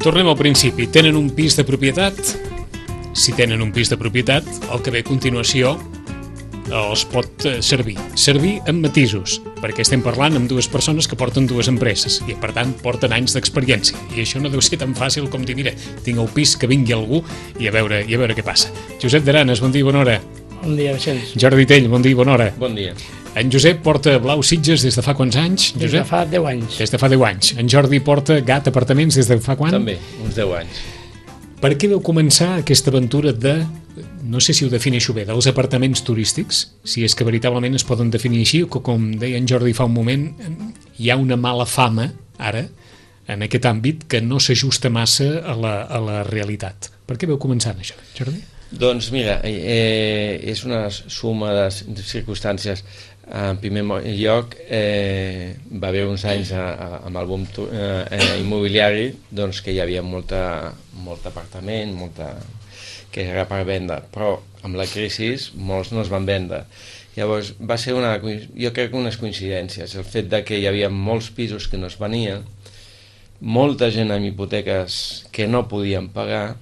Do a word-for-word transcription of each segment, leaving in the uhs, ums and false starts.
Tornem al principi. Tenen un pis de propietat? Si tenen un pis de propietat, el que ve a continuació els pot servir. Servir amb matisos, perquè estem parlant amb dues persones que porten dues empreses i, per tant, porten anys d'experiència. I això no deu ser tan fàcil com dir, mira, tinc el pis, que vingui algú i a veure, i a veure què passa. Josep d'Aranes, bon dia i bona hora. Bon dia, Vicenç. Jordi Tell, bon dia i bona hora. Bon dia. En Josep porta Blau Sitges des de fa quants anys? Des Josep? de fa deu anys. Des de fa deu anys. En Jordi porta Gat Apartaments des de fa quan? També, uns deu anys. Per què vau començar aquesta aventura de, no sé si ho defineixo bé, dels apartaments turístics? Si és que veritablement es poden definir així, o que, com deia en Jordi fa un moment, hi ha una mala fama, ara, en aquest àmbit, que no s'ajusta massa a la, a la realitat. Per què vau començar això, Jordi? Doncs mira, eh, és una suma de circumstàncies. En primer lloc, eh, va haver uns anys a, a, amb el boom eh, immobiliari, doncs que hi havia molta, molt apartament, molta, que era per vendre, però amb la crisi molts no es van vendre. Llavors va ser una, jo crec que unes coincidències, el fet de que hi havia molts pisos que no es venien, molta gent amb hipoteques que no podien pagar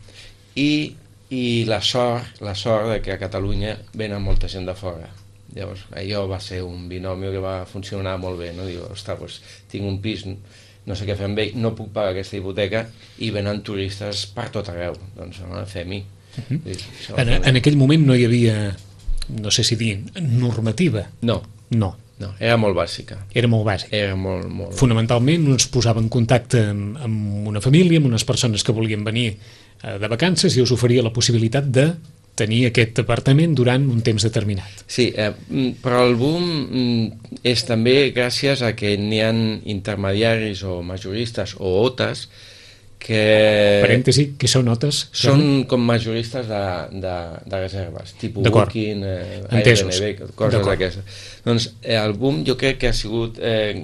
i, i la sort, la sort de que a Catalunya venen molta gent de fora. Llavors, allò va ser un binomio que va funcionar molt bé, no? Diu, ostres, doncs, tinc un pis, no sé què fer amb ell, no puc pagar aquesta hipoteca i venen turistes per tot arreu, doncs no, fem-hi. Uh-huh. En, en aquell moment no hi havia, no sé si dir, normativa? No. No. No, era molt bàsica. Era molt bàsica. Era molt, molt... Fonamentalment es posava en contacte amb, amb una família, amb unes persones que volien venir eh, de vacances i us oferia la possibilitat de tenir aquest apartament durant un temps determinat. Sí, eh, però el boom és també gràcies a que n'hi ha intermediaris o majoristes o otes que... Parèntesi, què són otes? Són com majoristes de, de, de reserves, tipus Booking, eh, Airbnb, coses d'aquestes. Doncs eh, el boom jo crec que ha sigut eh,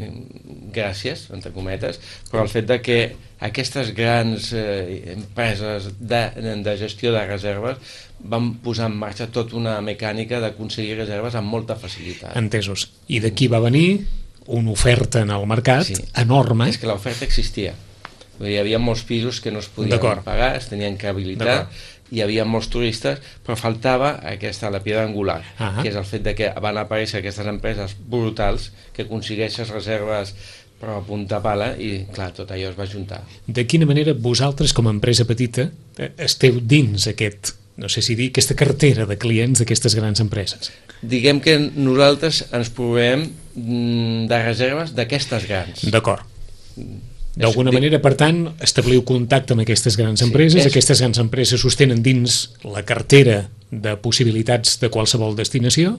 gràcies, entre cometes, però el fet de que aquestes grans eh, empreses de, de gestió de reserves van posar en marxa tota una mecànica d'aconseguir reserves amb molta facilitat. Entesos. I d'aquí va venir una oferta en el mercat sí. enorme. És que l'oferta existia. Hi havia molts pisos que no es podien pagar, es tenien que habilitar, hi havia molts turistes, però faltava aquesta, la piedra angular, uh-huh. que és el fet de que van aparèixer aquestes empreses brutals que aconsegueixen reserves però a punta pala i, clar, tot allò es va juntar. De quina manera vosaltres, com a empresa petita, esteu dins aquest, no sé si dir, aquesta cartera de clients d'aquestes grans empreses? Diguem que nosaltres ens provem de reserves d'aquestes grans. D'acord. D'alguna manera, per tant, establiu contacte amb aquestes grans empreses, sí, és... aquestes grans empreses sostenen dins la cartera de possibilitats de qualsevol destinació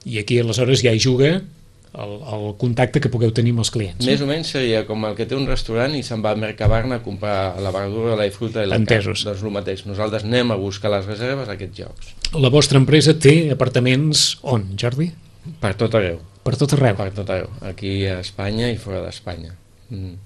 i aquí aleshores ja hi juga el, el contacte que pugueu tenir amb els clients. Més o menys seria com el que té un restaurant i se'n va a Mercabarna a comprar la verdura, la fruita i la carn. Doncs el mateix, nosaltres anem a buscar les reserves a aquests llocs. La vostra empresa té apartaments on, Jordi? Per tot arreu. Per tot arreu? Per tot arreu, aquí a Espanya i fora d'Espanya. Mm.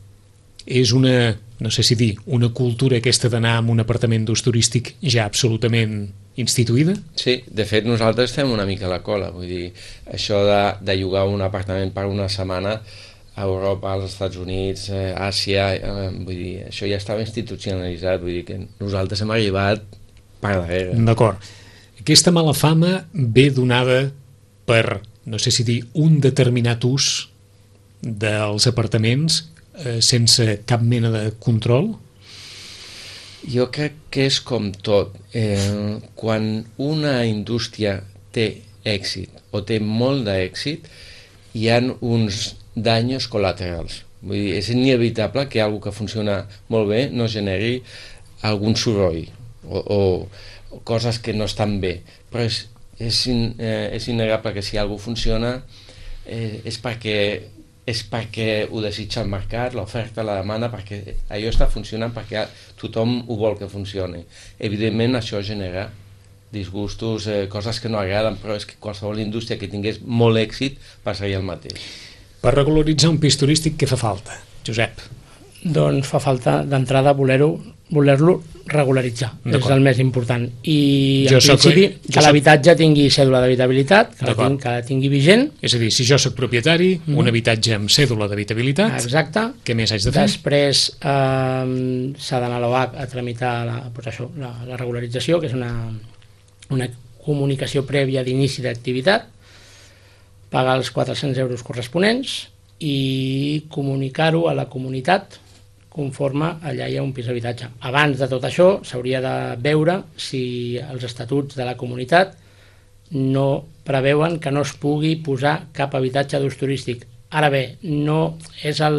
És una, no sé si dir, una cultura aquesta d'anar a un apartament d'ús turístic ja absolutament instituïda? Sí, de fet nosaltres estem una mica a la cola, vull dir, això de, de llogar un apartament per una setmana a Europa, als Estats Units, eh, Àsia, eh, vull dir, això ja estava institucionalitzat, vull dir que nosaltres hem arribat per darrere. D'acord. Aquesta mala fama ve donada per, no sé si dir, un determinat ús dels apartaments Eh, sense cap mena de control? Jo crec que és com tot. Eh, quan una indústria té èxit o té molt d'èxit, hi ha uns danys col·laterals. Vull dir, és inevitable que algo que funciona molt bé no generi algun soroll o, o, o coses que no estan bé. Però és, és, in, eh, és innegable que si algo funciona eh, és perquè és perquè ho desitja el mercat, l'oferta, la demanda, perquè allò està funcionant perquè tothom ho vol que funcioni. Evidentment això genera disgustos, eh, coses que no agraden, però és que qualsevol indústria que tingués molt èxit passaria el mateix. Per regularitzar un pis turístic què fa falta, Josep? doncs fa falta d'entrada voler-ho voler-lo regularitzar, és el més important. I en principi que l'habitatge tingui cèdula d'habitabilitat, que la tingui vigent. És a dir, si jo soc propietari, un habitatge amb cèdula d'habitabilitat, exacte. Què més haig de fer? Després s'ha d'anar a l'O H a tramitar la regularització, que és una comunicació prèvia d'inici d'activitat, pagar els quatre-cents euros corresponents i comunicar-ho a la comunitat conforme allà hi ha un pis d'habitatge. Abans de tot això s'hauria de veure si els estatuts de la comunitat no preveuen que no es pugui posar cap habitatge d'ús turístic. Ara bé, no és el...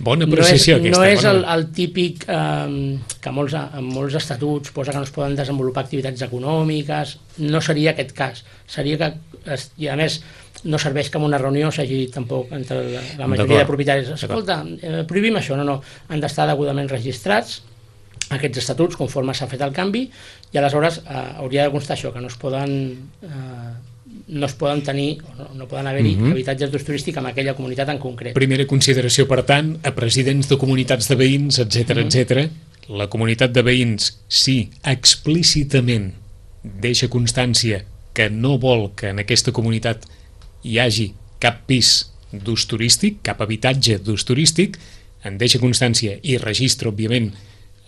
Bona precisió no és, aquesta. No és el, el típic eh, que molts, en molts estatuts posa que no es poden desenvolupar activitats econòmiques. No seria aquest cas. Seria que, i a més, no serveix que en una reunió s'hagi dit tampoc entre la, la majoria de propietaris, escolta, eh, prohibim això, no, no, han d'estar degudament registrats aquests estatuts conforme s'ha fet el canvi i aleshores eh, hauria de constar això, que no es poden eh, no es poden tenir, no, no poden haver-hi uh-huh. habitatges d'ús turístic en aquella comunitat en concret. Primera consideració, per tant, a presidents de comunitats de veïns, etcètera, uh-huh. etcètera. La comunitat de veïns, sí, explícitament deixa constància que no vol que en aquesta comunitat hi hagi cap pis d'ús turístic, cap habitatge d'ús turístic, en deixa constància i registra, òbviament,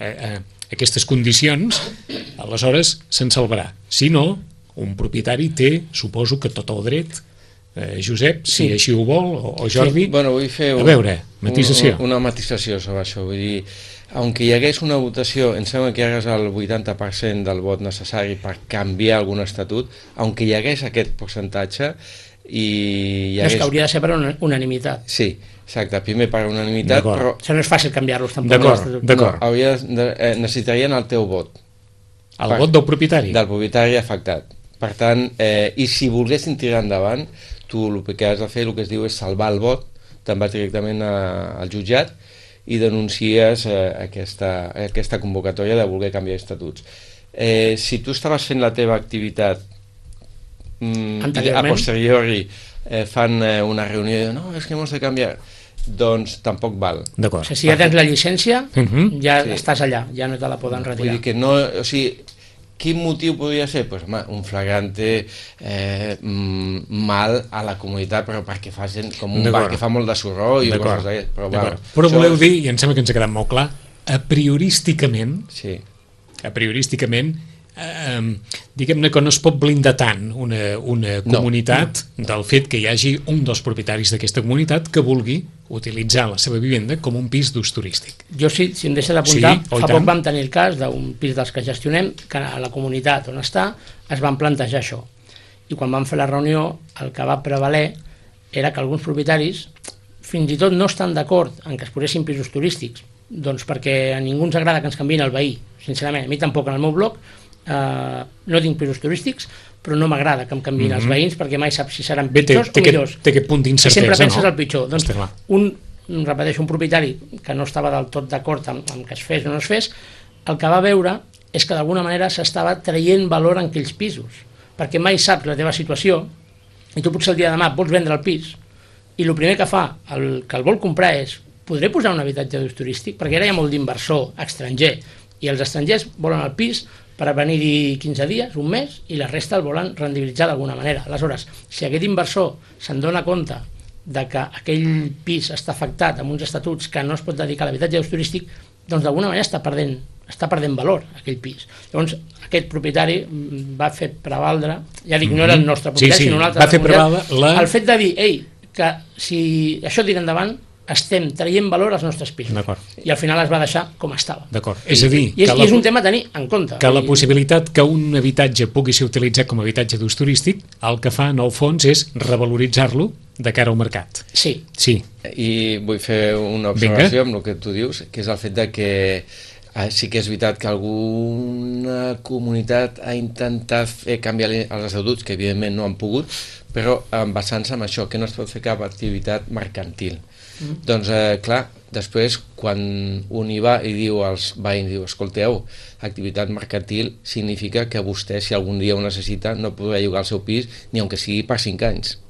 eh, eh, aquestes condicions, aleshores se'n salvarà. Si no, un propietari té, suposo que tot el dret, eh, Josep, si sí. així ho vol, o, o Jordi, sí. bueno, vull fer un, a veure, matisació. Un, una matisació sobre això, vull dir, aunque hi hagués una votació, em sembla que hi hagués el vuitanta per cent del vot necessari per canviar algun estatut, aunque hi hagués aquest percentatge, i hi hagués... És que hauria de ser per unanimitat. Sí, exacte, primer per unanimitat, però... Això no és fàcil canviar-los tampoc. D'acord, d'acord. No, hauria de, eh, necessitarien el teu vot. El per, vot del propietari? Del propietari afectat. Per tant, eh, i si volguessin tirar endavant, tu el que has de fer, el que es diu és salvar el vot, te'n vas directament a, al jutjat i denuncies eh, aquesta, aquesta convocatòria de voler canviar estatuts. Eh, si tu estaves fent la teva activitat a posteriori eh, fan eh, una reunió i diuen, no, és que hemos de canviar, doncs tampoc val. O sigui, si ja tens la llicència, uh-huh. ja sí. estàs allà, ja no te la poden retirar. Vull dir que no, o sigui, quin motiu podria ser? Pues, home, un flagrante eh, mal a la comunitat, però perquè facin com un bar que fa molt de sorró i coses d'aquestes. Però, bueno, però voleu dir, i em sembla que ens ha quedat molt clar, a priorísticament, sí. a priorísticament, Eh, diguem-ne que no es pot blindar tant una, una comunitat no, no. del fet que hi hagi un dels propietaris d'aquesta comunitat que vulgui utilitzar la seva vivenda com un pis d'ús turístic. Jo, si, si em deixes d'apuntar, sí, fa poc vam tenir el cas d'un pis dels que gestionem que a la comunitat on està es van plantejar això i quan vam fer la reunió el que va prevaler era que alguns propietaris fins i tot no estan d'acord en que es posessin pisos turístics, doncs perquè a ningú ens agrada que ens canviïn el veí, sincerament, a mi tampoc en el meu bloc. Uh, no tinc pisos turístics, però no m'agrada que em canviïn mm-hmm. els veïns perquè mai saps si seran pitjors té, té o millors. Té aquest punt d'incertesa, sempre penses no? el pitjor. Doncs un, repeteixo, un propietari que no estava del tot d'acord amb, amb que es fes o no es fes, el que va veure és que d'alguna manera s'estava traient valor en aquells pisos, perquè mai saps la teva situació i tu potser el dia de demà vols vendre el pis i el primer que fa el que el vol comprar és podré posar un habitatge d'ús turístic? Perquè ara hi ha molt d'inversor estranger i els estrangers volen el pis per venir-hi quinze dies, un mes, i la resta el volen rendibilitzar d'alguna manera. Aleshores, si aquest inversor se'n dona compte de que aquell pis està afectat amb uns estatuts que no es pot dedicar a l'habitatge d'ús turístic, doncs d'alguna manera està perdent, està perdent valor aquell pis. Llavors, aquest propietari va fer prevaldre, ja dic, no era el nostre propietari, sí, sí, sinó un altre, va fer prevaldre la... el fet de dir, ei, que si això tira endavant, estem traient valor als nostres pisos. I al final es va deixar com estava. D'acord. És a dir, I és, la, és un tema a tenir en compte. Que la possibilitat que un habitatge pugui ser utilitzat com a habitatge d'ús turístic, el que fa en el fons és revaloritzar-lo de cara al mercat. Sí. Sí. I vull fer una observació Vinga. Amb el que tu dius, que és el fet de que eh, sí que és veritat que alguna comunitat ha intentat fer canviar els estatuts, que evidentment no han pogut, però basant-se en això, que no es pot fer cap activitat mercantil. Mm. Doncs, eh, clar, després, quan un hi va i diu als veïns, diu, escolteu, activitat mercantil significa que vostè, si algun dia ho necessita, no podrà llogar el seu pis, ni aunque sigui per cinc anys.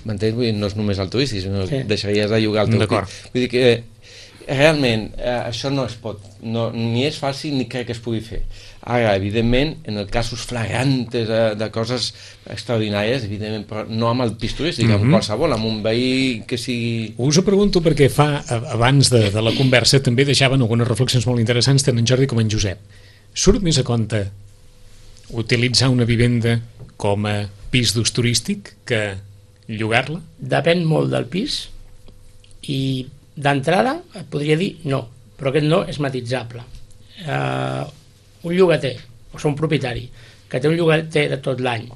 M'entens? Vull dir, no és només el turístic, sinó sí. deixaries de llogar el teu pis. Vull dir que realment, eh, això no es pot, no, ni és fàcil ni crec que es pugui fer. Ara, evidentment, en els casos flagrantes de, de coses extraordinàries, evidentment, però no amb el pis turístic, amb Mhm. qualsevol, amb un veí que sigui... Us ho pregunto perquè fa, a- abans de, de la conversa, també deixaven algunes reflexions molt interessants tant en Jordi com en Josep. Surt més a compte utilitzar una vivenda com a pis d'ús turístic que llogar-la? Depèn molt del pis i d'entrada et podria dir no, però aquest no és matitzable. Uh, un llogater, o sigui un propietari, que té un llogater de tot l'any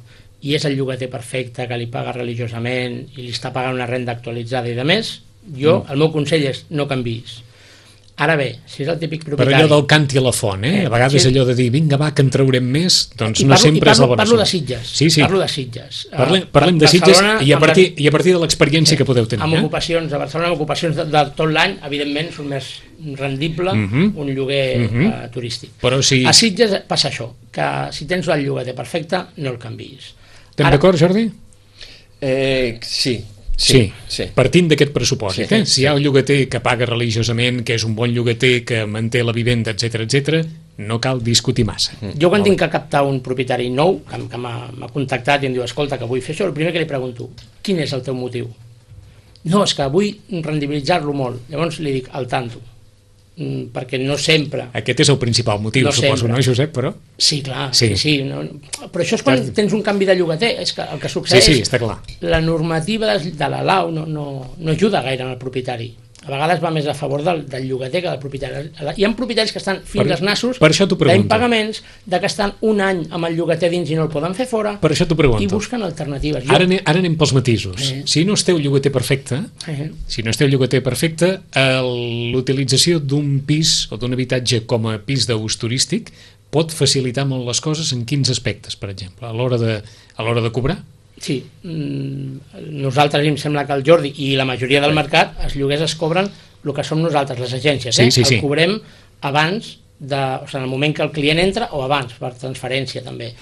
i és el llogater perfecte, que li paga religiosament i li està pagant una renda actualitzada i de més, jo, mm. el meu consell és no canviïs. Ara bé, si és el típic Per propietari... allò del cant i la font, eh? Eh, A vegades sí. allò de dir, vinga, va, que en traurem més, doncs I no parlo, sempre i parlo, és la bona parlo de solució. Sitges, Sí, sí. parlo de Sitges. Parlem, Uh, parlem de Sitges Barcelona, i a amb partir, les- i a partir de l'experiència que podeu tenir. amb Eh? ocupacions a Barcelona, amb ocupacions de, de tot l'any, evidentment són més rendible Mhm. un lloguer Mhm. uh, turístic. Però si... A Sitges passa això, que si tens el llogater perfecte, no el canviïs. Estem Ara- d'acord, Jordi? Eh, sí, Sí, sí, sí. partint d'aquest pressupòsit. Sí, eh? sí. Si hi ha un llogater que paga religiosament, que és un bon llogater, que manté la vivenda, etc etc, no cal discutir massa. Jo quan tinc que captar un propietari nou, que, que m'ha m'ha contactat i em diu, escolta, que vull fer això, el primer que li pregunto, quin és el teu motiu? No, és que vull rendibilitzar-lo molt. Llavors li dic, al tanto, mm, perquè no sempre... Aquest és el principal motiu, No suposo, sempre. no, Josep? Però... Sí, clar, Sí. sí, sí. No, però això és quan Clar. tens un canvi de llogater, és que el que Sí, succeeix... sí, està clar. La normativa de, de la Lau no, no, no ajuda gaire al propietari. A vegades va més a favor del, del llogater que del propietari. Hi ha propietaris que estan fins Per- als nassos per això t'ho pregunto. d'impagaments, de que estan un any amb el llogater dins i no el poden fer fora, Per això t'ho i pregunto. busquen alternatives. Jo, Ara, ane- ara anem pels matisos. Eh. Si no esteu llogater perfecte, eh, si no esteu llogater perfecte, el- l'utilització d'un pis o d'un habitatge com a pis d'ús turístic pot facilitar molt les coses en quins aspectes, per exemple, a l'hora de, a l'hora de cobrar? sí, mm, nosaltres, em sembla que el Jordi i la majoria del mercat, els lloguers es cobren el que som nosaltres, les agències. Sí, Eh? sí, sí. El cobrem abans, de, o sigui, en el moment que el client entra o abans, per transferència també.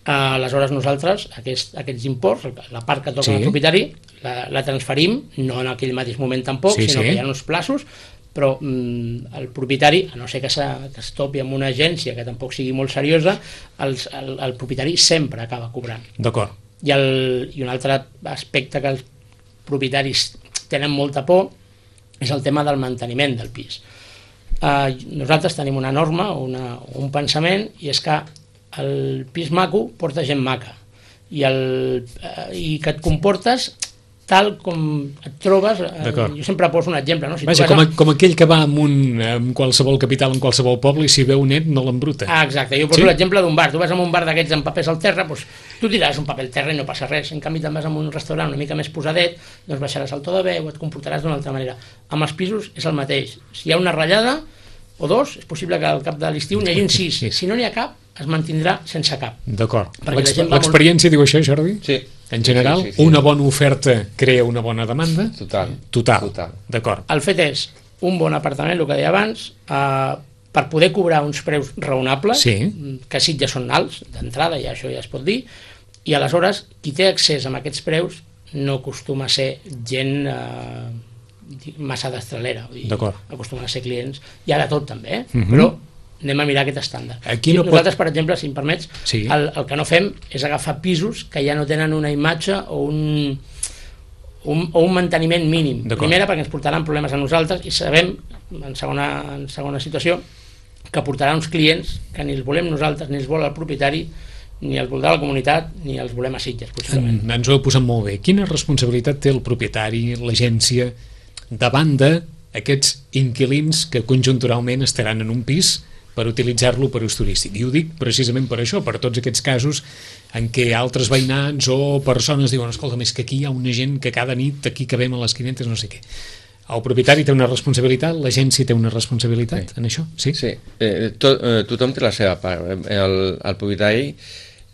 Uh, aleshores nosaltres aquest, aquests imports, la part que toca Sí. al propietari, la, la transferim, no en aquell mateix moment tampoc, Sí, sinó sí. que hi ha uns plaços, però mm, el propietari, a no ser que, que es topi amb una agència que tampoc sigui molt seriosa, els, el, el propietari sempre acaba cobrant. D'acord. I, el, I un altre aspecte que els propietaris tenen molta por és el tema del manteniment del pis. Uh, nosaltres tenim una norma, una, un pensament, i és que el pis maco porta gent maca i, el, uh, i que et comportes tal com et trobes. Uh, jo sempre poso un exemple. No? Si Vaja, tu vas com, a, com aquell que va amb, un, amb qualsevol capital en qualsevol poble i si veu net no l'embruta. Ah, exacte, jo poso Sí? l'exemple d'un bar. Tu vas a un bar d'aquests amb papers al terra, doncs, tu tiraràs un paper al terra i no passa res. En canvi, te'n vas a un restaurant una mica més posadet, doncs baixaràs el to de veu, et comportaràs d'una altra manera. Amb els pisos és el mateix. Si hi ha una ratllada o dos, és possible que al cap de l'estiu n'hi hagin sis. Sí. Si no n'hi ha cap, es mantindrà sense cap. D'acord. Perquè la L'ex- gent va molt- L'experiència diu això, Jordi? Sí. En general, Sí, sí, sí. una bona oferta crea una bona demanda? Total. Total. Total. D'acord. El fet és un bon apartament, el que deia abans, eh, per poder cobrar uns preus raonables, Sí. que sí ja són alts, d'entrada, ja això ja es pot dir, i aleshores qui té accés a aquests preus no acostuma a ser gent eh, massa destralera, vull dir, D'acord. acostumen a ser clients, hi ha de tot també, eh? Mhm. però anem a mirar aquest estàndard. Aquí I no pot- nosaltres, per exemple, si em permets, Sí. el, el que no fem és agafar pisos que ja no tenen una imatge o un, un, o un manteniment mínim. D'acord. Primera, perquè ens portaran problemes a nosaltres i sabem, en segona, en segona situació, que portarà uns clients que ni els volem nosaltres, ni els vol el propietari, ni els voldrà la comunitat, ni els volem a Sitges, possiblement. En, ens ho heu posat molt bé. Quina responsabilitat té el propietari, l'agència, davant d'aquests inquilins que conjunturalment estaran en un pis per utilitzar-lo per ús turístic? I ho dic precisament per això, per tots aquests casos en què altres veïnats o persones diuen, escolta, és que aquí hi ha una gent que cada nit aquí cabem a les quinentes, no sé què. El propietari té una responsabilitat, l'agència té una responsabilitat Sí. en això? Sí? Sí, eh, to, eh, tothom té la seva part. El, el propietari,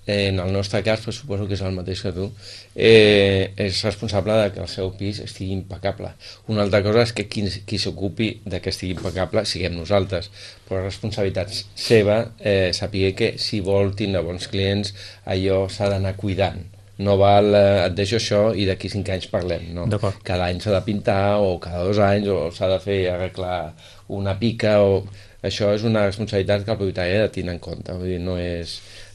eh, en el nostre cas, però suposo que és el mateix que tu, eh, és responsable de que el seu pis estigui impecable. Una altra cosa és que qui, qui s'ocupi de que estigui impecable siguem nosaltres, però la responsabilitat seva, eh, saber que si vol tindre bons clients, allò s'ha d'anar cuidant. no val, eh, et deixo això i d'aquí cinc anys parlem, no? Cada any s'ha de pintar, o cada dos anys, o s'ha de fer arreglar una pica, o... Això és una responsabilitat que el propietari ha de tenir en compte, vull dir, no és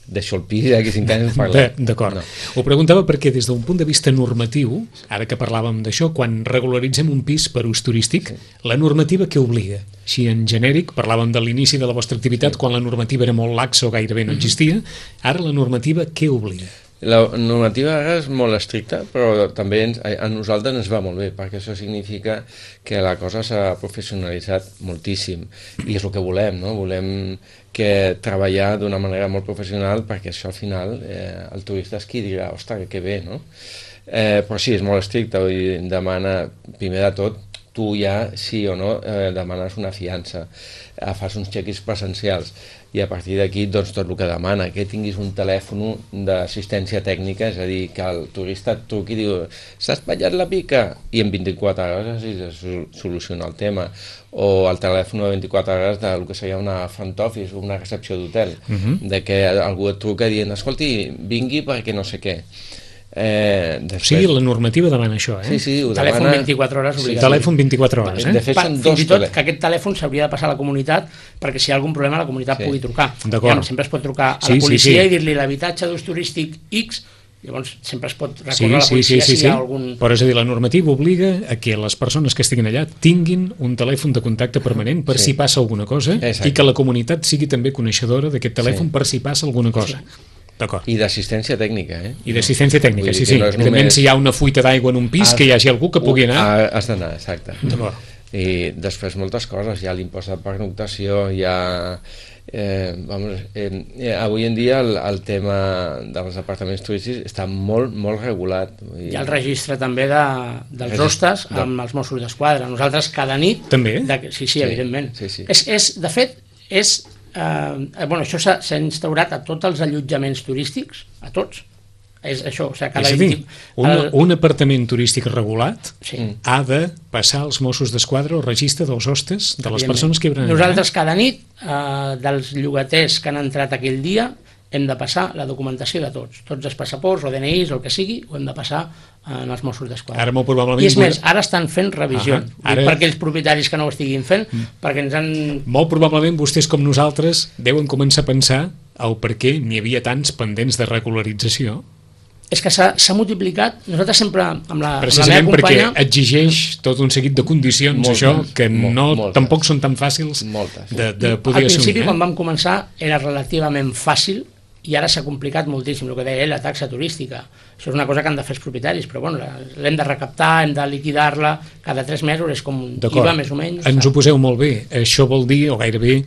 deixo el pis i d'aquí cinc anys parlem. D'acord. No. Ho preguntava perquè des d'un punt de vista normatiu, ara que parlàvem d'això, quan regularitzem un pis per ús turístic, sí. La normativa què obliga? Així en genèric, parlàvem de l'inici de la vostra activitat, sí. Quan la normativa era molt laxa o gairebé no existia, ara la normativa què obliga? La normativa ara és molt estricta, però també ens, a nosaltres ens va molt bé, perquè això significa que la cosa s'ha professionalitzat moltíssim, i és el que volem, no? Volem que treballar d'una manera molt professional, perquè això al final eh, el turista és qui dirà, ostres, que bé, no? Eh, però sí, és molt estricte, vull dir, demana, primer de tot, tu ja, sí o no, eh, demanes una fiança, eh, fas uns check-ins presencials, i a partir d'aquí, doncs, tot el que demana, que tinguis un telèfon d'assistència tècnica, és a dir, que el turista et truqui i diu, s'ha espatllat la pica, i en vint-i-quatre hores es soluciona el tema, o el telèfon de vint-i-quatre hores del que seria una front office, una recepció d'hotel, uh-huh. De que algú et truca dient, escolti, vingui perquè no sé què. Eh, després... Sí, la normativa demana això, eh? Sí, sí, ho telèfon demana... vint-i-quatre hores obligatori. Sí, telèfon vint-i-quatre hores, eh? De fet, són dos fins i tot que aquest telèfon s'hauria de passar a la comunitat perquè si hi ha algun problema la comunitat sí. Pugui trucar. Ja, sempre es pot trucar a sí, la policia sí, sí. I dir-li l'habitatge d'ús turístic X, llavors sempre es pot recórrer sí, a la policia sí, sí, sí, si hi ha algun... Però és a dir, la normativa obliga a que les persones que estiguin allà tinguin un telèfon de contacte permanent per sí. Si passa alguna cosa. Exacte. I que la comunitat sigui també coneixedora d'aquest telèfon sí. Per si passa alguna cosa. Sí. I d'assistència tècnica, eh? I d'assistència tècnica, sí, sí. No evidentment, només... si hi ha una fuita d'aigua en un pis, has... que hi hagi algú que pugui anar... Has d'anar, exacte. I després moltes coses, hi ha l'impost de pernoctació, hi ha... Eh, vamos, eh, avui en dia el, el tema dels apartaments turístics està molt, molt regulat. Hi ha el registre també de, dels hostes de... amb els Mossos d'Esquadra. Nosaltres cada nit... També? De... Sí, sí, sí, evidentment. Sí, sí. És, és, de fet, és... Uh, bueno, això s'ha instaurat a tots els allotjaments turístics, a tots. És això, o sigui, cada és a dir, un, el... un apartament turístic regulat sí. Ha de passar als Mossos d'Esquadra o registre dels hostes de les persones que hi haurà. Nosaltres cada nit, uh, dels llogaters que han entrat aquell dia, hem de passar la documentació de tots. Tots els passaports o D N Is o el que sigui, ho hem de passar en els Mossos d'Esquadra. Ara molt probablement... I és més, ara estan fent revisió. Ara... Per aquells propietaris que no ho estiguin fent, mm. perquè ens han... Molt probablement vostès com nosaltres deuen començar a pensar el per què n'hi havia tants pendents de regularització. És que s'ha multiplicat, nosaltres sempre amb la, precisament amb la meva companya... perquè exigeix tot un seguit de condicions, moltes, això, que no, moltes, tampoc són tan fàcils moltes. de, de poder assumir. Al principi, assumir, eh? Quan vam començar, era relativament fàcil, i ara s'ha complicat moltíssim, el que deia ell, la taxa turística. Això és una cosa que han de fer els propietaris, però bueno, l'hem de recaptar, hem de liquidar-la, cada tres mesos és com un I V A més o menys. Ens ho poseu molt bé. Això vol dir, o gairebé,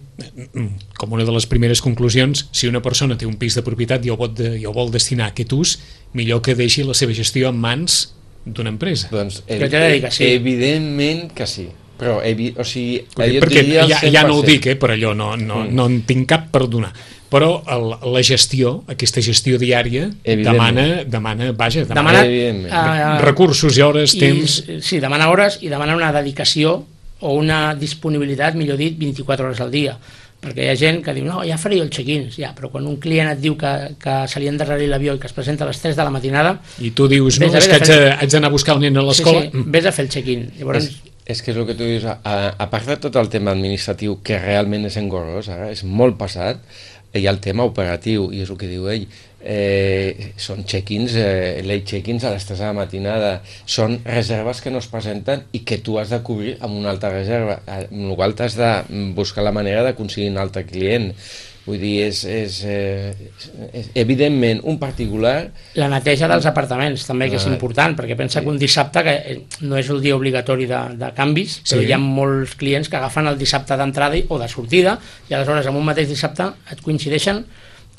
com una de les primeres conclusions, si una persona té un pis de propietat i el vol, de, i el vol destinar a aquest ús, millor que deixi la seva gestió en mans d'una empresa. Doncs ev ev sí. Evidentment que sí. Però, evi o sigui, perquè ja, ja no ho dic, eh, per allò, no, no, mm. no en tinc cap per donar. Però el, la gestió, aquesta gestió diària, demana, demana, vaja, demana, demana uh, recursos i hores, i, temps... Sí, demana hores i demana una dedicació o una disponibilitat, millor dit, vint-i-quatre hores al dia. Perquè hi ha gent que diu, no, ja faré el check-in, ja, però quan un client et diu que, que se li ha endarrerit l'avió i que es presenta a les tres de la matinada... I tu dius, no, és que haig, fer... haig d'anar a buscar el nen a l'escola... Sí, sí, vés a fer el check-in. Llavors... És... És que és el que tu dius, a, a part de tot el tema administratiu, que realment és engorrós, ara, és molt passat, hi ha el tema operatiu, i és el que diu ell, eh, són check-ins, eh, late check-ins a les tres de la matinada, són reserves que no es presenten i que tu has de cobrir amb una altra reserva, amb la qual t'has de buscar la manera d'aconseguir un altre client. Vull dir, és, és, eh, és evidentment un particular... La neteja dels apartaments també, que és important, perquè pensa que un dissabte, que no és el dia obligatori de, de canvis, però sí. Hi ha molts clients que agafen el dissabte d'entrada o de sortida, i aleshores en un mateix dissabte et coincideixen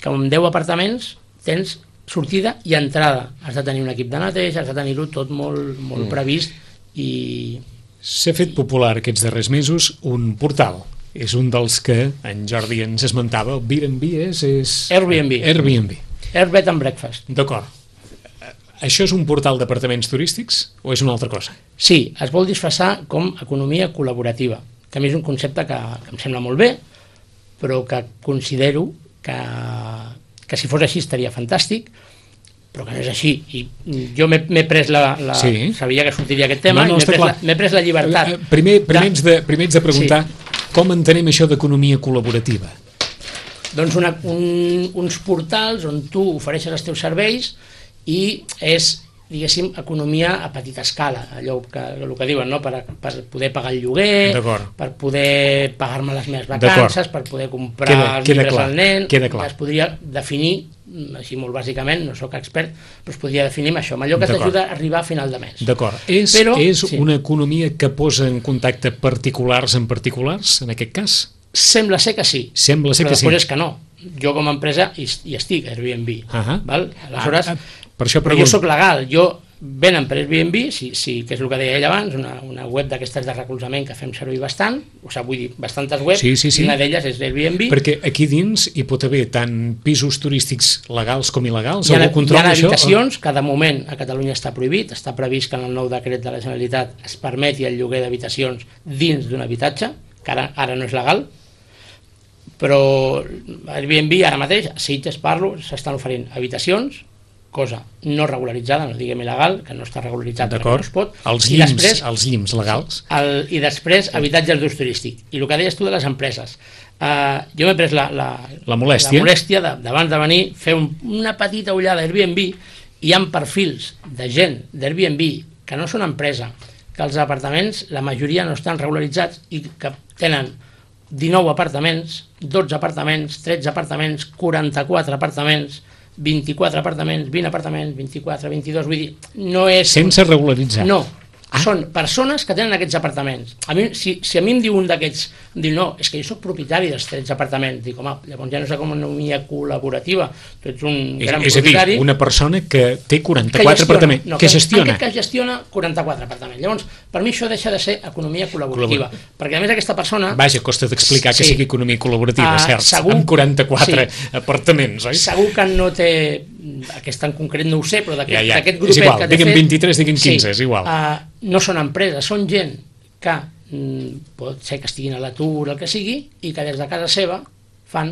que amb deu apartaments tens sortida i entrada. Has de tenir un equip de neteja, has de tenir-ho tot molt, molt mm. previst i... S'ha fet popular aquests darrers mesos un portal. És un dels que en Jordi ens esmentava. El Airbnb és... és... Airbnb. Airbnb. Airbed and Breakfast. D'acord. Això és un portal d'apartaments turístics o és una altra cosa? Sí, es vol disfressar com economia col·laborativa, que a mi és un concepte que, que em sembla molt bé, però que considero que, que si fos així estaria fantàstic, però que no és així. I jo m'he pres la... la sí. Sabia que sortiria aquest tema, no, no, i m'he pres, la, pres la llibertat. Primer, primer, ets de, primer ets de preguntar sí. com entenem això d'economia col·laborativa. Doncs una, un, uns portals on tu ofereixes els teus serveis i és, diguéssim, economia a petita escala, allò que, el que diuen, no? per, per poder pagar el lloguer, per poder pagar-me les meves vacances, per poder comprar queda, els llibres al nen, es podria definir, així molt bàsicament, no sóc expert, però es podria definir amb això, amb allò que t'ajuda a arribar a final de mes. D'acord. És, però, és sí. una economia que posa en contacte particulars amb particulars, en aquest cas? Sembla ser que sí, Sembla ser però que després sí. és que no. Jo com a empresa hi, hi estic, Airbnb. Uh -huh. val? Aleshores, ah, ah, per això però jo soc legal, jo venen per Airbnb, sí, sí, que és el que deia ell abans, una, una web d'aquestes de recolzament que fem servir bastant, o sigui, vull dir, bastantes webs, sí, sí, sí. i una d'elles és Airbnb. Perquè aquí dins hi pot haver tant pisos turístics legals com il·legals? Hi ha, hi ha habitacions això? Que de moment a Catalunya està prohibit, està previst que en el nou decret de la Generalitat es permeti el lloguer d'habitacions dins d'un habitatge, que ara, ara no és legal, però Airbnb ara mateix, a Sitges parlo, s'estan oferint habitacions, cosa no regularitzada, no diguem il·legal, que no està regularitzat perquè no es pot. Els llims, després, els llims legals. El, I després habitatges d'ús turístic. I el que deies tu de les empreses. Uh, jo m'he pres la, la, la molèstia, la molèstia d'abans de, de venir, fer un, una petita ullada a Airbnb, i hi ha perfils de gent d'Airbnb que no són empresa, que els apartaments, la majoria no estan regularitzats i que tenen dinou apartaments, dotze apartaments, tretze apartaments, quaranta-quatre apartaments, vint-i-quatre apartaments, vint apartaments, vint-i-quatre, vint-i-dos, vull dir, no és... Sense regularitzar. No, ah. són persones que tenen aquests apartaments. A mi, si, si a mi em diu un d'aquests, em diu, no, és que jo soc propietari dels tretze apartaments, dic, home, llavors ja no és economia col·laborativa, tu ets un és, gran és propietari... És a dir, una persona que té quaranta-quatre que apartaments, no, que, que gestiona. En aquest cas gestiona quaranta-quatre apartaments. Llavors, per mi això deixa de ser economia col·laborativa, Col·labor... perquè a més aquesta persona... Vaja, costa d'explicar sí. que sigui economia col·laborativa, uh, cert, segur... amb quaranta-quatre sí. apartaments, oi? Segur que no té... Aquesta en concret no ho sé, però d'aquest ja, ja. grupet és igual, que t'he fet... diguem vint-i-tres, diguem quinze, sí, és igual. Uh, no són empreses, són gent que mm, pot ser que estiguin a l'atur, el que sigui, i que des de casa seva fan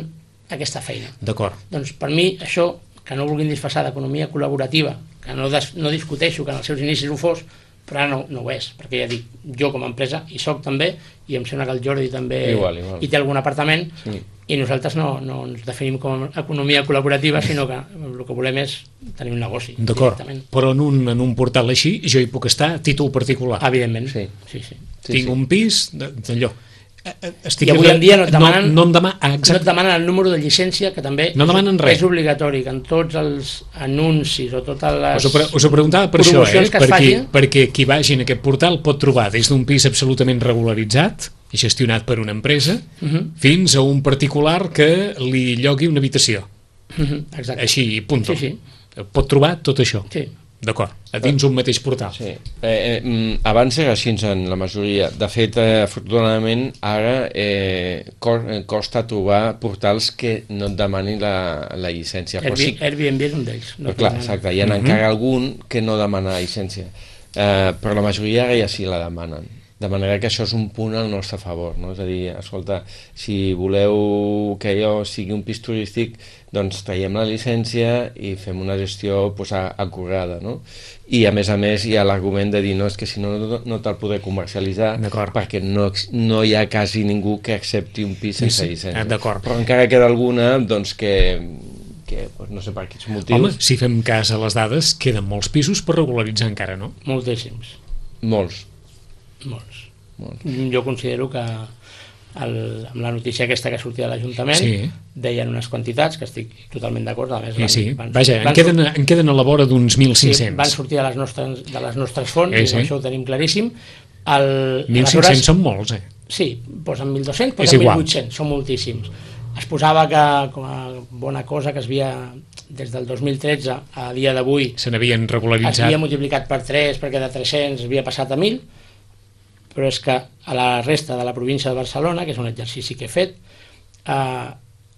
aquesta feina. D'acord. Doncs per mi això, que no vulguin disfressar d'economia col·laborativa, que no, des, no discuteixo que en els seus inicis ho fos, però ara no, no ho és, perquè ja dic, jo com a empresa hi soc també, i em sembla que el Jordi també igual, igual. hi té algun apartament, sí. I nosaltres no, no ens definim com a economia col·laborativa, sinó que el que volem és tenir un negoci. D'acord, però en un, en un portal així jo hi puc estar a títol particular. Evidentment, sí. sí, sí. Tinc sí, sí. un pis d'allò. Estic I avui en dia no et demanen, no, no, em demana, ah, no et demanen el número de llicència, que també no és, és obligatori, que en tots els anuncis o totes les us ho, us ho preguntava per això, eh? perquè, facin... perquè qui vagi en aquest portal pot trobar des d'un pis absolutament regularitzat i gestionat per una empresa, uh -huh. fins a un particular que li llogui una habitació. Uh -huh. Exacte. Així, punt. Sí, sí. Pot trobar tot això. Sí. D'acord, a dins un mateix portal. Sí. Eh, eh, abans era així en la majoria. De fet, eh, afortunadament, ara eh, costa trobar portals que no et demanin la, la llicència. Airbnb, sí, Airbnb és un d'ells. No clar, exacte, hi ha uh -huh. encara algun que no demana llicència. Eh, però la majoria ara ja sí la demanen. De manera que això és un punt al nostre favor, no? És a dir, escolta, si voleu que allò sigui un pis turístic, doncs traiem la llicència i fem una gestió pues, acurada, no? I a més a més hi ha l'argument de dir no, és que si no, no, no te'l podré comercialitzar perquè no, no hi ha quasi ningú que accepti un pis sense sí, llicència. Però encara queda alguna doncs, que, que pues, no sé per quins motius... Home, si fem cas a les dades, queden molts pisos per regularitzar encara, no? Moltíssims. Molts. Molts. Molts. Jo considero que el, amb la notícia aquesta que sortia de l'Ajuntament sí. deien unes quantitats que estic totalment d'acord. Sí, sí. Van, Vaja, van, en, queden, en queden a la vora d'uns mil cinc-cents. Sí, van sortir de les nostres, de les nostres fonts, sí, sí. I això ho tenim claríssim. El, mil cinc-cents són molts, eh? Sí, posen mil dos-cents, posen mil vuit-cents, són moltíssims. Es posava que, com a bona cosa, que es havia, des del dos mil tretze a dia d'avui... Se n'havien regularitzat. Es havia multiplicat per tres, perquè de tres-cents havia passat a mil, però és que a la resta de la província de Barcelona, que és un exercici que he fet, eh,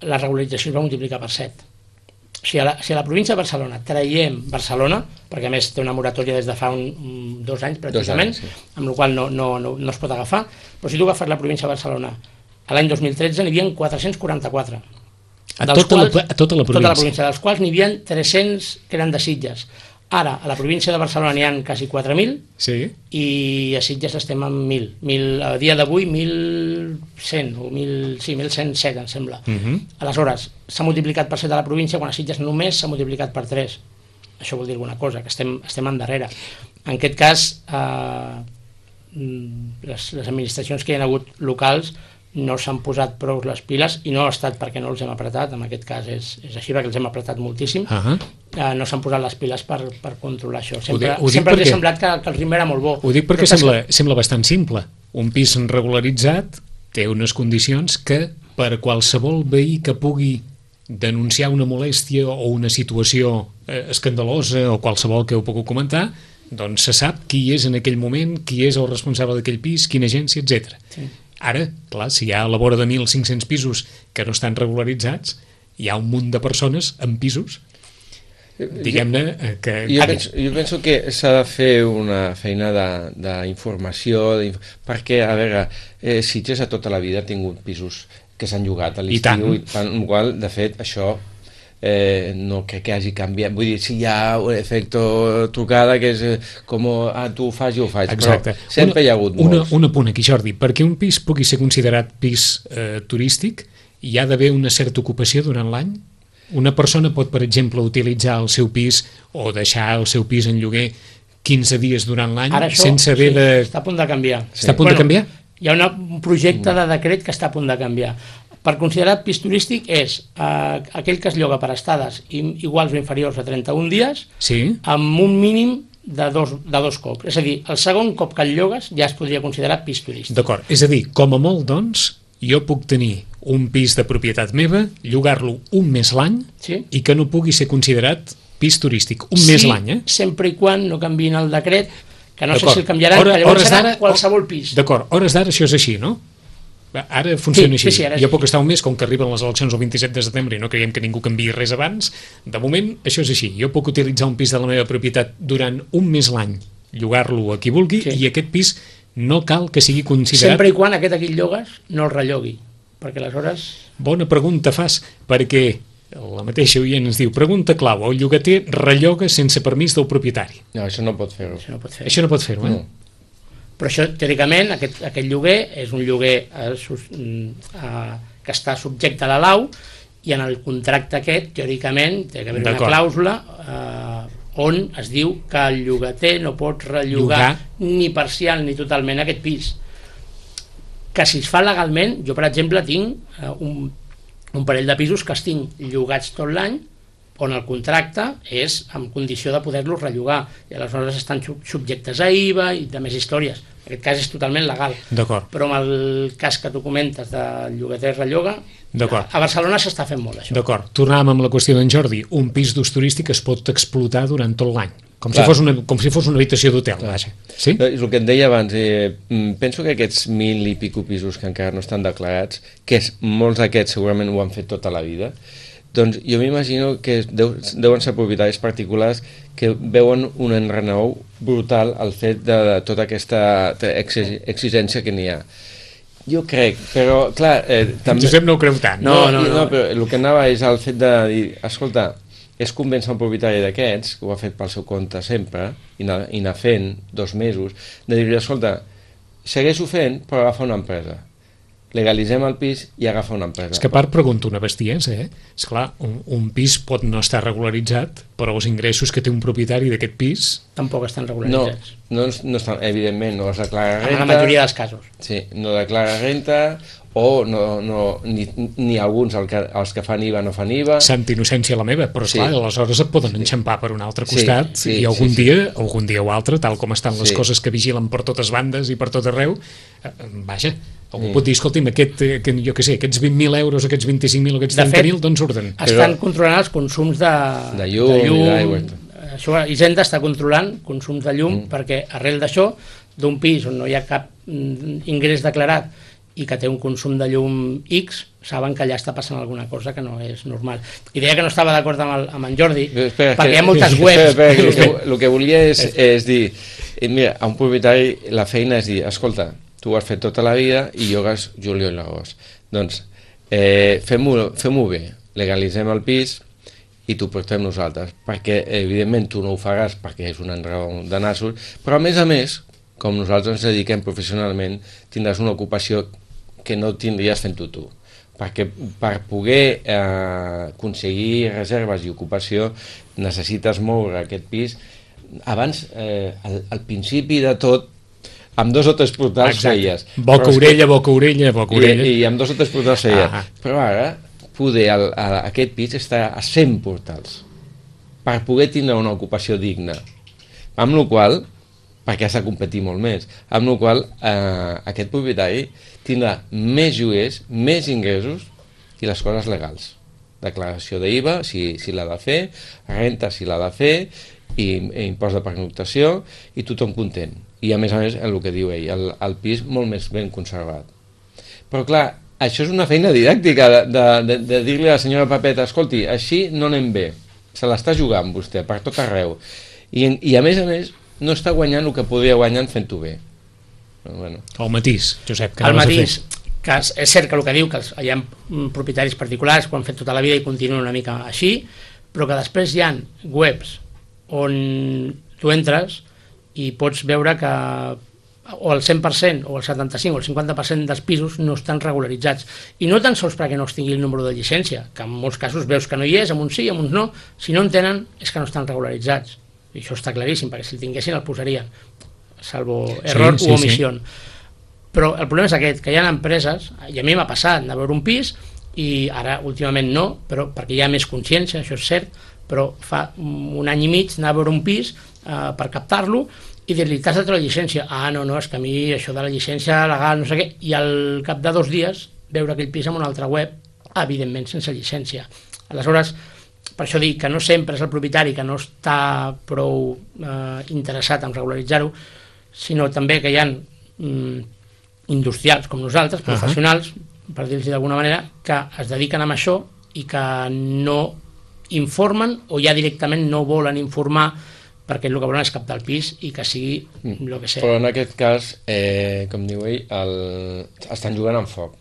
la regularització es va multiplicar per set. O sigui, a la, si a la província de Barcelona traiem Barcelona, perquè a més té una moratòria des de fa un, un, dos anys pràcticament, dos anys, sí. Amb la qual no, no, no, no es pot agafar, però si tu agafes la província de Barcelona, a l'any dos mil tretze n'hi havia quatre-cents quaranta-quatre. A tota, quals, la, a tota la província. Tota la província, dels quals n'hi havia tres-cents que eren de Sitges. Ara, a la província de Barcelona n'hi ha quasi quatre mil, sí. I a Sitges estem amb mil. mil a dia d'avui, mil cent, o mil, sí, mil cent set, em sembla. Uh -huh. Aleshores, s'ha multiplicat per set a la província, quan a Sitges només s'ha multiplicat per tres. Això vol dir alguna cosa, que estem, estem endarrere. En aquest cas, eh, les, les administracions que hi ha hagut locals no s'han posat prou les piles, i no ha estat perquè no els hem apretat, en aquest cas és, és així, perquè els hem apretat moltíssim. Uh -huh. eh, no s'han posat les piles per, per controlar això. Sempre, ho dic, ho sempre els perquè... ha semblat que, que el ritme era molt bo. Ho dic perquè sembla, que... sembla bastant simple. Un pis regularitzat té unes condicions que per qualsevol veí que pugui denunciar una molèstia o una situació eh, escandalosa o qualsevol que ho puc comentar, doncs se sap qui és en aquell moment, qui és el responsable d'aquell pis, quina agència, etcètera. Sí. Ara, clar, si hi ha a la vora de mil cinc-cents pisos que no estan regularitzats, hi ha un munt de persones amb pisos, diguem-ne que... Jo penso, jo penso que s'ha de fer una feina d'informació, perquè, a veure, eh, Sitges a tota la vida ha tingut pisos que s'han llogat a l'estiu, i tant, igual, de fet, això eh, no crec que hagi canviat. Vull dir, si hi ha un efecte trucada que és eh, com, ah, tu ho fas, jo ho faig. Exacte. Però sempre una, hi ha hagut una, molts. Un apunt aquí, Jordi. Perquè un pis pugui ser considerat pis eh, turístic, hi ha d'haver una certa ocupació durant l'any? Una persona pot, per exemple, utilitzar el seu pis o deixar el seu pis en lloguer quinze dies durant l'any sense haver sí, de... està a punt de canviar. Sí. Està a punt bueno, de canviar? Hi ha una, un projecte de decret que està a punt de canviar. Per considerar pis turístic és eh, aquell que es lloga per estades iguals o inferiors a trenta-un dies, sí, amb un mínim de dos, de dos cops. És a dir, el segon cop que el llogues ja es podria considerar pis turístic. D'acord, és a dir, com a molt, doncs, jo puc tenir un pis de propietat meva, llogar-lo un mes l'any, sí, i que no pugui ser considerat pis turístic, un sí, mes l'any, eh? Sempre i quan no canviïn el decret, que no sé si el canviaran, Hora, que llavors serà qualsevol pis. D'acord, hores d'ara això és així, no? Ara funciona sí, així. Sí, sí, jo puc així. Estar un mes, com que arriben les eleccions el vint-i-set de setembre i no creiem que ningú canviï res abans, de moment això és així. Jo puc utilitzar un pis de la meva propietat durant un mes l'any, llogar-lo a qui vulgui, sí, i aquest pis no cal que sigui considerat... Sempre i quan aquest aquí llogues no el rellogui, perquè aleshores... Bona pregunta fas, perquè la mateixa oient ens diu, pregunta clau, el llogater relloga sense permís del propietari. No, això no pot fer-ho. Això no pot fer-ho, això no pot fer-ho, eh? No. Però això, teòricament, aquest, aquest lloguer és un lloguer eh, sus, eh, que està subjecte a la lau, i en el contracte aquest, teòricament, té que haver una clàusula eh, on es diu que el llogater no pot rellogar Llogar. ni parcial ni totalment aquest pis. Que si es fa legalment, jo per exemple tinc eh, un, un parell de pisos que els tinc llogats tot l'any, on el contracte és en condició de poder-los rellogar, i aleshores estan subjectes a I V A i de més històries. En aquest cas és totalment legal. Però amb el cas que tu comentes de llogater relloga, a Barcelona s'està fent molt això. D'acord, tornàvem amb la qüestió d'en Jordi. Un pis d'ús turístic es pot explotar durant tot l'any, com, si fos una, com si fos una habitació d'hotel. Sí? El que et deia abans, eh, penso que aquests mil i pico pisos que encara no estan declarats, que és, molts d'aquests segurament ho han fet tota la vida, doncs jo m'imagino que deu, deuen ser propietaris particulars que veuen un enrenou brutal al fet de, de tota aquesta exigència que n'hi ha. Jo crec, però clar... Eh, també... Josep no ho creu tant. No, no, no, no, però el que anava és el fet de dir, escolta, és convèncer un propietari d'aquests, que ho ha fet pel seu compte sempre, i anar, i anar fent dos mesos, de dir, escolta, segueixo fent, però agafa una empresa. Legalitzem el pis i agafa una empresa. És que a part pregunto una bestiesa, eh? Esclar, un, un pis pot no estar regularitzat, però els ingressos que té un propietari d'aquest pis... Tampoc estan regularitzats. No, no, no estan, evidentment, no es declara renta... En la majoria dels casos. Sí, no declara renta, o no, no, ni, ni alguns el que, els que fan I V A no fan I V A. Santa innocència la meva, però esclar, sí, aleshores et poden sí, enxampar per un altre costat, sí, sí, i algun, sí, dia, sí. algun dia o altre, tal com estan les sí. coses que vigilen per totes bandes i per tot arreu, eh, vaja, algú sí. pot dir, escolti'm, aquest, que, jo què sé, aquests vint mil euros, aquests vint-i-cinc mil, aquests trenta mil, d'on surten? Estan però... controlant els consums de, de llum, de llum i d'aigua. Això, Hisenda està controlant consums de llum, mm. perquè arrel d'això, d'un pis on no hi ha cap ingrés declarat i que té un consum de llum X, saben que allà està passant alguna cosa que no és normal. I deia que no estava d'acord amb, el, amb en Jordi, espera, perquè hi ha moltes espera, webs... Espera, espera, el, que, el que volia és, és dir, mira, a un propietari la feina és dir, escolta, tu ho has fet tota la vida i llogues juliol i l'agost. Doncs eh, fem-ho fem-ho bé. legalitzem el pis i t'ho portem nosaltres, perquè evidentment tu no ho faràs perquè és un enraó de nassos, però a més a més, com nosaltres ens dediquem professionalment, tindràs una ocupació que no tindries fent-ho tu, perquè per poder eh, aconseguir reserves i ocupació necessites moure aquest pis. Abans, eh, al, al principi de tot, amb dos o tres portals Exacte. feies. Boca-orella, boca-orella, boca-orella. I, I amb dos o tres portals feies. Ah. Però ara, poder, el, el, aquest pis està a cent portals per poder tindre una ocupació digna. Amb la qual, perquè has de competir molt més, amb la qual eh, aquest propietari tindrà més lloguers, més ingressos i les coses legals. Declaració d'I V A, si, si l'ha de fer, renta, si l'ha de fer, i, i impost de pernoctació, i tothom content. I a més a més, el que diu ell, el, el pis molt més ben conservat. Però clar, això és una feina didàctica de, de, de, de dir-li a la senyora Pepeta, escolti, així no anem bé, se l'està jugant vostè per tot arreu. I, I a més a més, no està guanyant el que podria guanyar fent-ho bé. Però, bueno. El matís, Josep, que el anaves a matís, fer. que és, és cert que el que diu, que hi ha propietaris particulars que ho han fet tota la vida i continuen una mica així, però que després hi ha webs on tu entres i pots veure que o el cent per cent, o el setanta-cinc o el cinquanta per cent dels pisos no estan regularitzats. I no tan sols perquè no es tingui el número de llicència, que en molts casos veus que no hi és, amb uns sí, amb uns no, si no en tenen és que no estan regularitzats. I això està claríssim, perquè si el tinguessin el posarien, salvo error sí, sí, o omissió. Sí. Però el problema és aquest, que hi ha empreses, i a mi m'ha passat de veure un pis, i ara últimament no, però perquè hi ha més consciència, això és cert, però fa un any i mig anar a veure un pis eh, per captar-lo, i dir-li, t'has de treure la llicència? Ah, no, no, és que a mi això de la llicència legal, no sé què, i al cap de dos dies veure aquell pis en una altra web, evidentment sense llicència. Aleshores, per això dic que no sempre és el propietari que no està prou eh, interessat en regularitzar-ho, sinó també que hi ha mm, industrials com nosaltres, professionals, uh-huh. per dir-los d'alguna manera, que es dediquen a això i que no informen o ja directament no volen informar perquè el que volen és captar el pis i que sigui el que sigui. Però en aquest cas, eh, com diu ell, el... estan jugant amb foc,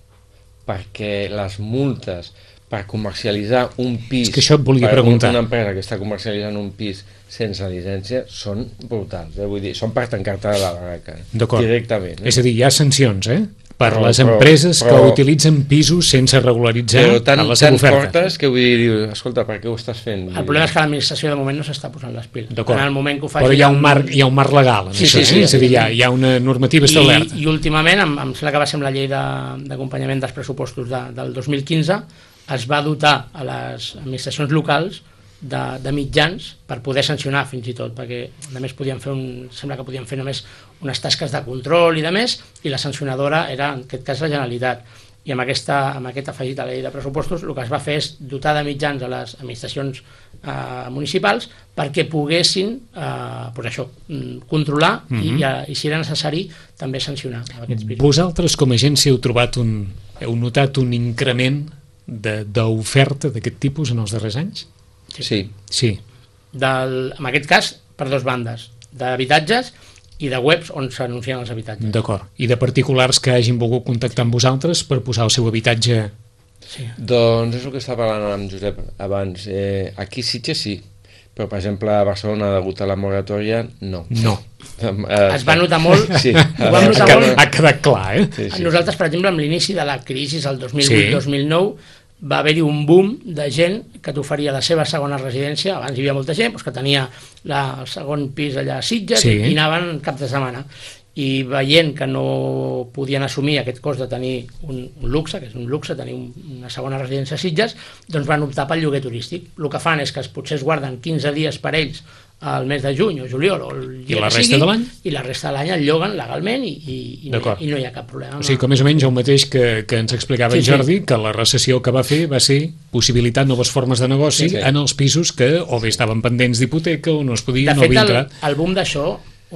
perquè les multes per comercialitzar un pis, és que això et volia per preguntar. Una empresa que està comercialitzant un pis sense llicència, són brutals, eh? Vull dir, són per tancar-te la barraca, directament. Eh? És a dir, hi ha sancions, eh? Per però, les però, empreses però, que utilitzen pisos sense regularitzar però tan, a la seva tan oferta. fortes que vull dir, escolta, per què ho estàs fent? El problema és que l'administració de moment no s'està posant les piles. En el moment que ho faci... Però hi ha un marc, hi ha un marc legal, en sí, això, sí, sí, eh? És a dir, hi ha, hi ha una normativa establerta. I, i últimament, em, em sembla que va ser amb la llei d'acompanyament de, dels pressupostos de, del dos mil quinze, es va dotar a les administracions locals de, de mitjans per poder sancionar fins i tot, perquè a més podien fer un, sembla que podien fer només unes tasques de control i de més, i la sancionadora era en aquest cas la Generalitat. I amb, aquesta, amb aquest afegit a la llei de pressupostos el que es va fer és dotar de mitjans a les administracions eh, municipals perquè poguessin eh, pues això, controlar mm-hmm. i, i, i si era necessari també sancionar aquests pisos. Vosaltres com a agència heu trobat un, heu notat un increment d'oferta d'aquest tipus en els darrers anys? Sí. Sí. Del, en aquest cas, per dues bandes, d'habitatges i de webs on s'anuncien els habitatges. D'acord. I de particulars que hagin volgut contactar amb vosaltres per posar el seu habitatge... Sí. Doncs és el que estava parlant amb Josep abans. Eh, aquí Sitges sí, però per exemple a Barcelona, degut a la moratòria, no. No. Eh, es va notar molt, sí. ho vam notar ha, molt. Ha quedat clar, eh? Sí, sí. Nosaltres, per exemple, amb l'inici de la crisi, el dos mil vuit dos mil nou, sí. va haver-hi un boom de gent que t'oferia la seva segona residència. Abans hi havia molta gent doncs, que tenia la, el segon pis allà a Sitges sí. i anaven cap de setmana. I veient que no podien assumir aquest cost de tenir un, un luxe, que és un luxe, tenir un, una segona residència a Sitges, doncs van optar pel lloguer turístic. El que fan és que potser es guarden quinze dies per ells al mes de juny o juliol o el I la resta sigui, de l'any? I la resta de l'any el lloguen legalment i, i, i, no, i no hi ha cap problema. O sigui que més o menys el mateix que, que ens explicava sí, en Jordi, sí. que la recessió que va fer va ser possibilitar noves formes de negoci sí, sí. en els pisos que o bé estaven pendents d'hipoteca o no es podien no havia entrat. De fet, el, el boom d'això,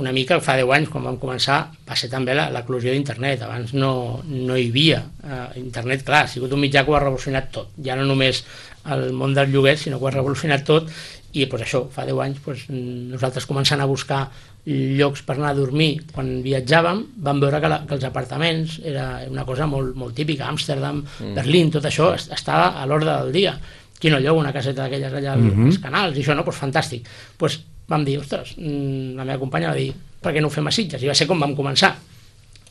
una mica fa deu anys, quan vam començar, va ser també l'eclosió d'internet. Abans no, no hi havia. Uh, internet, clar, ha sigut un mitjà que ho ha revolucionat tot. Ja no només el món del lloguer, sinó que ho ha revolucionat tot. I pues, això, fa deu anys, pues, nosaltres començant a buscar llocs per anar a dormir quan viatjàvem, vam veure que, la, que els apartaments era una cosa molt, molt típica. Amsterdam, mm. Berlín, tot això estava a l'ordre del dia. qui no lloga una caseta d'aquelles allà Mhm. als canals i això, no? Doncs fantàstic. Doncs vam dir, ostres, mm, la meva companya va dir, per què no ho fem a Sitges? I va ser com vam començar.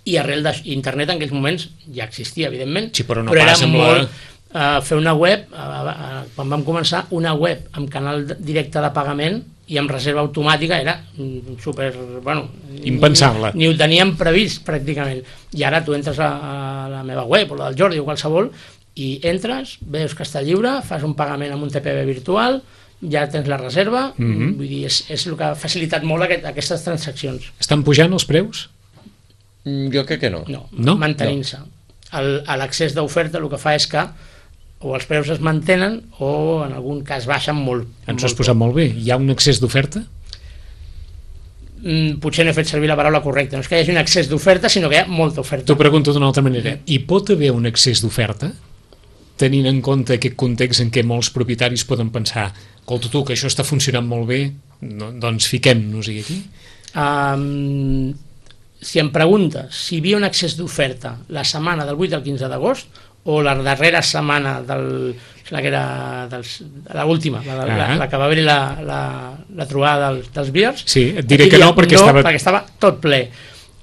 I arrel d'internet en aquells moments ja existia, evidentment, Sí, però no era pas amb la- molt eh, fer una web, eh, eh, quan vam començar, una web amb canal de- directe de pagament i amb reserva automàtica era mm, super, bueno... Impensable. Ni, ni ho teníem previst, pràcticament. I ara tu entres a, a la meva web, o la del Jordi, o qualsevol, i entres, veus que està lliure, fas un pagament amb un T P V virtual, ja tens la reserva, Mhm. vull dir, és, és el que ha facilitat molt aquest, aquestes transaccions. Estan pujant els preus? Mm, Jo crec que no. No, No? mantenint-se. El- a L'accés d'oferta el que fa és que o els preus es mantenen o en algun cas baixen molt. Ens ho has molt posat molt bé. Hi ha un excés d'oferta? Mm, potser no he fet servir la paraula correcta, no és que hi hagi un excés d'oferta, sinó que hi ha molta oferta. T'ho pregunto d'una altra manera. Hi pot haver un excés d'oferta tenint en compte aquest context en què molts propietaris poden pensar escolta tu, que això està funcionant molt bé, no, doncs fiquem-nos-hi aquí? Um, si em preguntes si hi havia un excés d'oferta la setmana del vuit al quinze d'agost o la darrera setmana del, la que era dels, la última, la, la, Ah. la que va haver la, la, la trobada dels, dels Beers, Sí, et diré aquí que hi ha- no perquè no, estava... perquè estava tot ple.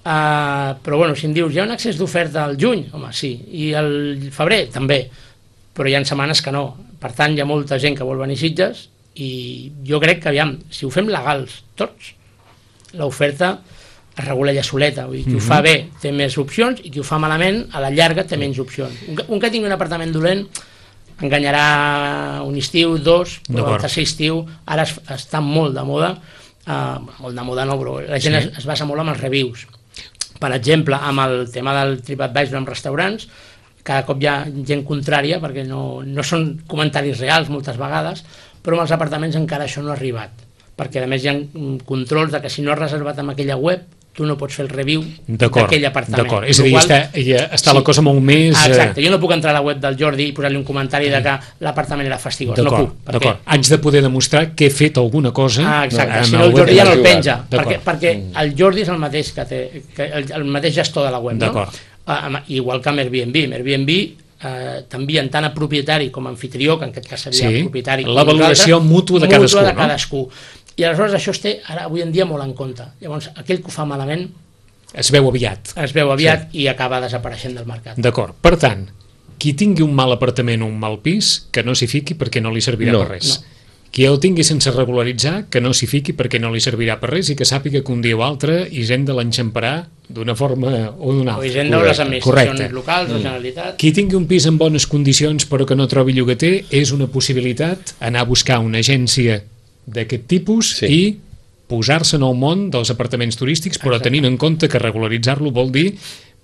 Uh, però bueno, si em dius, hi ha un excés d'oferta al juny? Home, sí. I al febrer? També. Però hi ha setmanes que no. Per tant, hi ha molta gent que vol venir a Sitges i jo crec que, aviam, si ho fem legals tots, l'oferta es regula ja soleta. Vull dir, qui ho fa bé té més opcions i qui ho fa malament, a la llarga té menys opcions. Un que, un que tingui un apartament dolent enganyarà un estiu, dos, però D'acord. el tercer estiu ara es, està molt de moda, uh, molt de moda no, però la gent Sí. es, es basa molt en els reviews. Per exemple, amb el tema del TripAdvisor amb restaurants, cada cop hi ha gent contrària perquè no, no són comentaris reals moltes vegades, però amb els apartaments encara això no ha arribat, perquè a més hi ha mm, controls de que si no has reservat amb aquella web tu no pots fer el review D'acord, d'aquell apartament. d'acord. És a dir, Lo qual- està, ja està la Sí. cosa molt més... Ah, eh, exacte, jo no puc entrar a la web del Jordi i posar-li un comentari de que l'apartament era fastigós, no D'acord, puc. perquè- d'acord. Haig de poder demostrar que he fet alguna cosa... Ah, exacte, en si no el web. Jordi ja no el D'acord. penja, perquè, D'acord. perquè el Jordi és el mateix que té, que el, el mateix gestor de la web, no? D'acord. Ah, amb- igual que amb Airbnb, amb Airbnb eh, t'envien tant a propietari com a anfitrió, que en aquest cas seria Sí, propietari, la com valoració nosaltres, mútua de cadascú, de no? cadascú. I aleshores això es té ara avui en dia molt en compte. Llavors, aquell que ho fa malament Es veu aviat. es veu aviat sí. i acaba desapareixent del mercat. D'acord. Per tant, qui tingui un mal apartament o un mal pis, que no s'hi fiqui perquè no li servirà No, per res. no. Qui el tingui sense regularitzar, que no s'hi fiqui perquè no li servirà per res i que sàpiga que un dia o altre Hisenda l'enxamparà d'una forma o d'una O altra. Hisenda o les Correcte. administracions Correcte. locals, la Generalitat... Qui tingui un pis en bones condicions però que no trobi llogater, és una possibilitat anar a buscar una agència d'aquest tipus Sí. i posar-se en el món dels apartaments turístics, però Exacte. tenint en compte que regularitzar-lo vol dir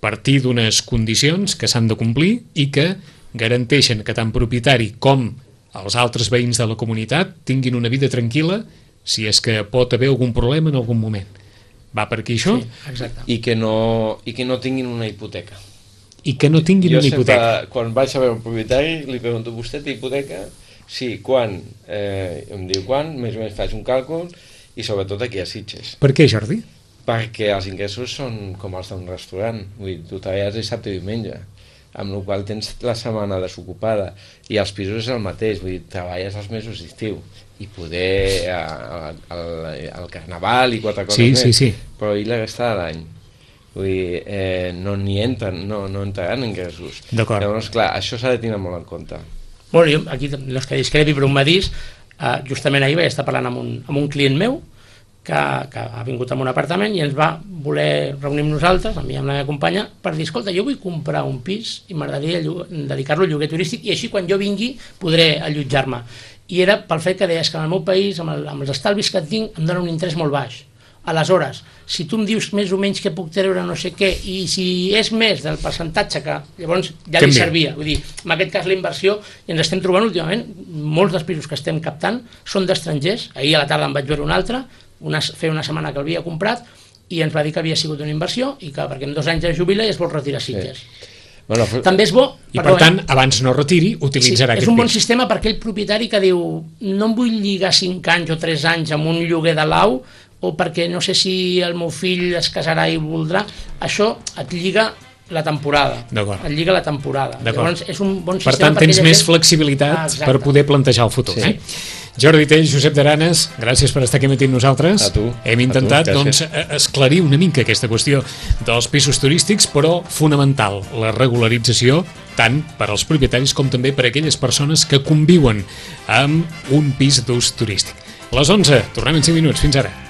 partir d'unes condicions que s'han de complir i que garanteixen que tant propietari com els altres veïns de la comunitat tinguin una vida tranquil·la si és que pot haver algun problema en algun moment. Va per aquí això? Sí, exacte. I que no, i que no tinguin una hipoteca. I que no tinguin Jo una sempre, hipoteca. quan vaig a veure un propietari, li pregunto, vostè té hipoteca? Sí, quan? Eh, em diu quan, més o menys faig un càlcul, i sobretot aquí a Sitges. Per què, Jordi? Perquè els ingressos són com els d'un restaurant, vull dir, tu treballes dissabte i diumenge, amb la qual tens la setmana desocupada, i els pisos és el mateix, vull dir, treballes els mesos d'estiu, i poder al carnaval i quatre coses Sí, més, sí, sí. però i la resta de l'any. Vull dir, eh, no n'hi entren, no, no entraran ingressos. D'acord. Llavors, clar, això s'ha de tenir molt en compte. Bueno, jo aquí no és que discrepi, però un matís, eh, justament ahir vaig estar parlant amb un, amb un client meu que, que ha vingut a un apartament i ens va voler reunir amb nosaltres, a mi i amb la meva companya, per dir, escolta, jo vull comprar un pis i m'agradaria dedicar-lo al lloguer turístic i així quan jo vingui podré allotjar-me. I era pel fet que deies que en el meu país, amb, el, amb els estalvis que tinc, em dona un interès molt baix. Aleshores, si tu em dius més o menys que puc treure no sé què, i si és més del percentatge que llavors ja li Canvia. servia, vull dir, en aquest cas la inversió, i ens estem trobant últimament, molts dels pisos que estem captant són d'estrangers. Ahir a la tarda em vaig veure un altre, una, feia una setmana que l'havia comprat, i ens va dir que havia sigut una inversió, i que perquè en dos anys es jubila i es vol retirar a Sitges. Sí. Bueno, També és bo... I perdó, per tant, eh? abans no retiri, utilitzarà Sí, és aquest un bon pis. sistema per aquell propietari que diu no em vull lligar cinc anys o tres anys amb un lloguer de lau o perquè no sé si el meu fill es casarà i voldrà. Això et lliga la temporada. D'acord. Et lliga la temporada. D'acord. Llavors és un bon Per sistema. tant, tens aquella més gent- flexibilitat Ah, exacte. per poder plantejar el futur. Sí. Eh? Jordi Tell, Josep d'Aranes, gràcies per estar aquí matí amb nosaltres. A tu. Hem A tu, intentat gràcies. doncs, esclarir una mica aquesta qüestió dels pisos turístics, però fonamental, la regularització, tant per als propietaris com també per a aquelles persones que conviuen amb un pis d'ús turístic. A les onze, tornem en cinc minuts. Fins ara.